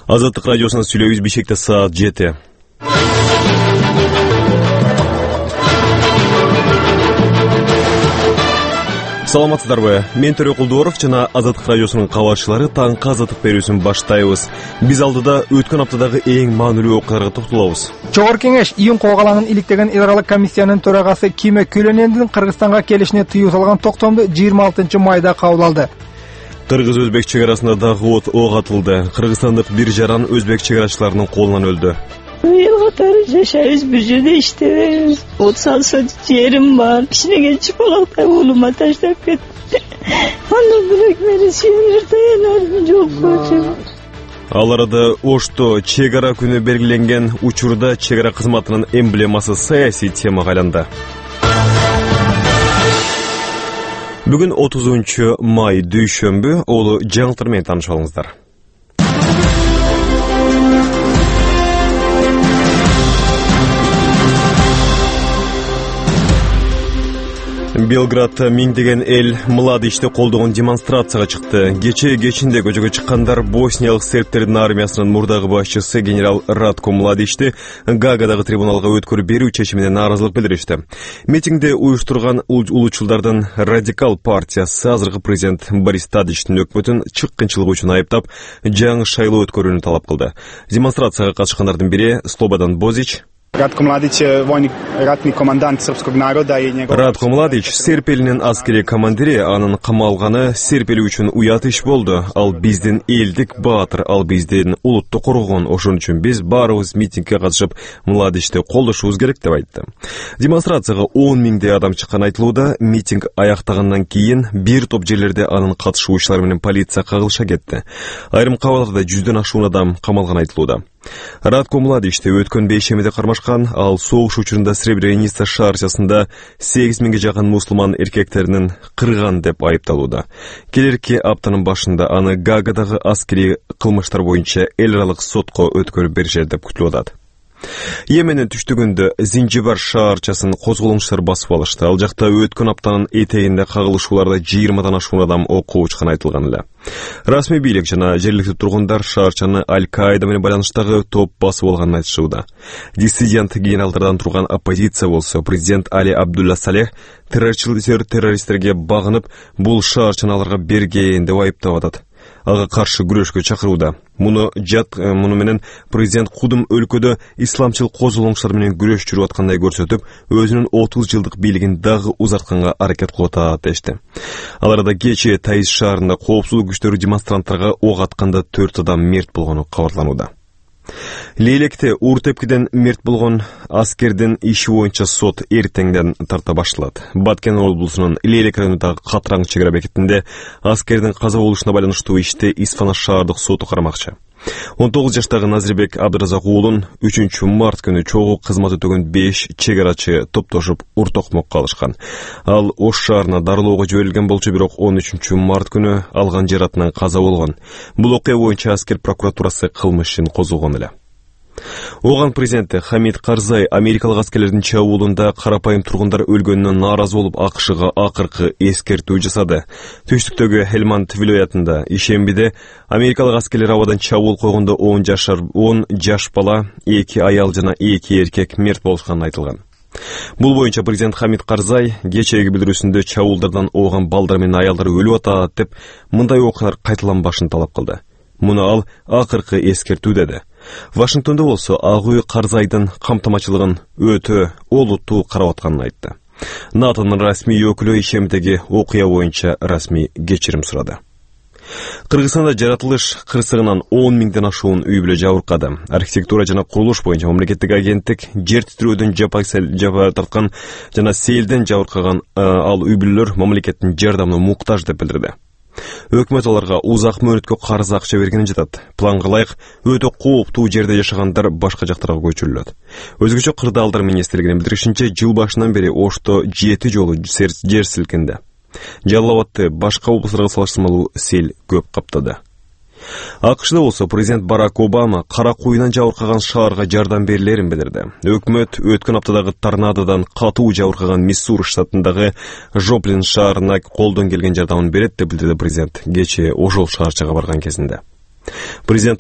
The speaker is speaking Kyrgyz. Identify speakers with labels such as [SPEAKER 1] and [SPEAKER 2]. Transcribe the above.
[SPEAKER 1] Азаттык радиосунан сүйлөйбүз. Бишкекте саат 7. Саламатсыздарбы? Мен Төрө Кулдуоров жана Азаттык радиосунун кабарчылары таңкы азаттык берүүсүн баштайбыз. Биз алдыда өткөн аптадагы эң маанилүү окуяларга токтолобуз.
[SPEAKER 2] Жогорку кеңеш июнь коогалаңын иликтеген эл аралык комиссиянын төрагасы Киме Көлөнендин Кыргызстанга келишине тыюу салган токтомду 26 майда кабыл алды.
[SPEAKER 1] Кыргыз-өзбек чек арасында дагы ок атылды. Кыргызстандык бир жаран өзбек чек арачыларынын колунан өлдү.
[SPEAKER 3] Эл катары жашайбыз, бир жерде иштебейбиз. Отсалса жерим бар. Кичинеге чыпалактай уулума таштап кетти. Андан бирок мени сүйөнөр таянар жок.
[SPEAKER 1] Ал арада Ошто чек ара күнү белгиленген учурда чек ара кызматынын эмблемасы саясий темага айланды. Бүгүн 30 май дүйшөмбү, олу жаңылыктар менен таанышып алыңыздар. Белградта миңдеген эл Младичти колдогон демонстрацияга чыкты. Кечинде көчөгө чыккандар босниялык сербтердин армиясынын мурдагы башчысы генерал Радко Младичти Гаагадагы трибуналга өткөрүп берүү чечимине нааразылык билдиришти. Митингди уюштурган улуучулдардын радикал партиясы азыркы президент Борис Тадичтин өкмөтүн чыккынчылык үчүн айыптап, жаңы шайлоо өткөрүүнү талап кылды. Демонстрацияга катышкандардын бири Слободан Бозич.
[SPEAKER 4] Радко Младич войник, ратный командант српскog народа и негов...
[SPEAKER 1] Радко Младич серб элинин аскери командири, анын камалганы серб эли үчүн уят иш болду. Ал биздин элдик баатыр, ал биздин улутту коргон. Ошон үчүн биз баарыбыз митингге катышып Младичти колдошубуз керек деп айтты. Демонстрацияга 10 миңдей адам чыккан айтылууда. Митинг аяктагандан кийин бир топ жерлерде анын катышуучулары менен полиция кагылыша кетти. Айрым кабалдарда 100дөн ашуун адам камалган айтылууда. Радко Младичти өткөн бейшемиде кармашкан, ал согуш учурунда Сребреница шаарчасында 8000ге жакын мусулман эркектеринин кырган деп айыпталууда. Келерки аптанын башында аны Гаагадагы аскери кылмыштар боюнча эл аралык сотко өткөрүп беришет деп күтүлүп атат. Йеменин түштүгүндө Зинжибар шаарчасын козголоңчулар басып алышты. Ал жакта өткөн аптанын этегинде кагылышууларда 20дан ашуун адам окко учкан айтылган эле. Расмий бийлик жана жергиликтүү тургундар шаарчаны Аль-Каида менен байланыштагы топ басып алганын айтышууда. Диссидент генералдардан турган оппозиция болсо президент Али Абдулла Салех террористтерге багынып, бул шаарчаны аларга берген деп айыптап атат. Ага каршы күрөшкө чакырууда. Муну менен президент кудум өлкөдө исламчыл козголоңчулар менен күрөш жүрүп аткандай көрсөтүп, өзүнүн 30 жылдык бийлигин дагы узартканга аракет кылып атат дешти. Ал арада кечээ Таиз шаарында коопсуздук күчтөрү демонстранттарга ок атканда 4 адам мерт болгону кабарланууда. Лейлекте ур-тепкиден мерт болгон аскердин иши боюнча сот эртеңден тарта башталат. Баткен облусунун Лейлек районундагы Катраң чек ара бекетинде аскердин каза болушуна байланыштуу ишти Исфана шаардык соту карамакчы. 19 жаштагы Назирбек Абдыразак уулун 3 март күнү чогуу кызмат өтөгөн 5 чек арачы топтошуп уртокмокко алышкан. Ал Ош шаарына дарылоого жиберилген болчу, бирок 13 март күнү алган жаратынан каза болгон. Бул окуя боюнча аскер прокуратурасы кылмыш ишин козгогон эле. Оган президенти Хамид Карзай америкалык аскерлердин чабуулунда карапайым тургундар өлгөнүнө нааразы болуп АКШга акыркы эскертүү жасады. Түштүктөгү Хельманд вилаятында ишембиде америкалык аскерлер абадан чабуул койгондо 10 жаш бала, 2 аял жана 2 эркек мерт болушканы айтылган. Бул боюнча президент Хамид Карзай кечээги билдирүүсүндө чабуулдардан ооган балдар менен аялдар өлүп атат деп, мындай окуялар кайталанбашын талап кылды. Муну ал акыркы эскертүү деди. Вашингтондо болсо Ак үй Карзайдын камтамачылыгын өтө олуттуу карап атканын айтты. НАТОнун расмий өкүлү ишемдеги окуя боюнча расмий кечирим сурады. Кыргызстанда жаратылыш кырсыгынан 10 миңден ашуун үй бүлө жабыркады. Архитектура жана курулуш боюнча мамлекеттик агенттик жер титирөөдөн жапа тарткан жана селден жабыркаган ал үй бүлөлөр мамлекеттин жардамына муктаж деп билдирди. Өкмөт аларга узак мөөнөткө карыз акча бергенин жатат. Планга ылайык өтө кооптуу жерде жашагандар башка жактарга көчүрүлөт. Өзгөчө кырдаалдар министрлигинин билдиришинче, жыл башынан бери Ошто 7 жолу жер силкинди. Жалал Абадты башка облустарга салыштырмалуу сел көп каптады. АКШда болсо президент Барак Обама кара куйунан жабыркаган шаарга жардам берилерин билдирди. Өкмөт өткөн аптадагы торнадодан катуу жабыркаган Миссури штатындагы Жоплин шаарына колдон келген жардамын берет деп билдирди президент кечээ ошол шаарчага барган кезинде. Президент